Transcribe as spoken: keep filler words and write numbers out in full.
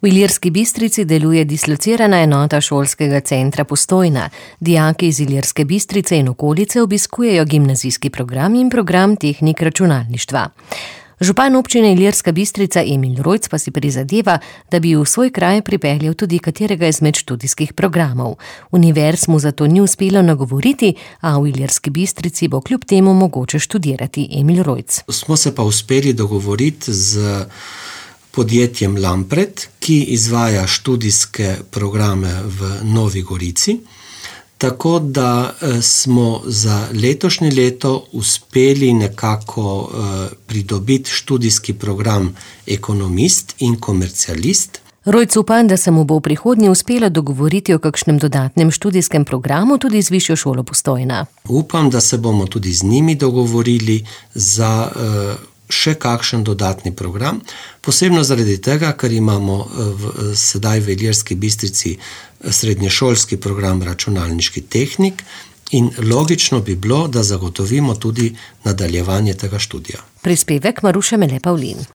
V Ilirski Bistrici deluje dislocirana enota šolskega centra Postojna. Dijaki iz Ilirske Bistrice in okolice obiskujejo gimnazijski program in program tehnik računalništva. Župan občine Ilirska Bistrica Emil Rojc pa si prizadeva, da bi v svoj kraj pripeljal tudi katerega izmed študijskih programov. Univerz mu zato ni uspelo nagovoriti, a v Ilirski Bistrici bo kljub temu mogoče študirati. Emil Rojc. Smo se pa uspeli dogovoriti z podjetjem Lampret, ki izvaja študijske programe v Novi Gorici, tako da smo za letošnje leto uspeli nekako pridobiti študijski program ekonomist in komercialist. Rojc upa, da se mu bo v prihodnje uspelo dogovoriti o kakšnem dodatnem študijskem programu tudi z Višjo šolo Postojna. Upam, da se bomo tudi z njimi dogovorili za še kakšen dodatni program, posebno zaradi tega, ker imamo v, sedaj v Ilirski Bistrici srednješolski program računalniški tehnik in logično bi bilo, da zagotovimo tudi nadaljevanje tega študija. Prispevek Maruše Mele Pavlin.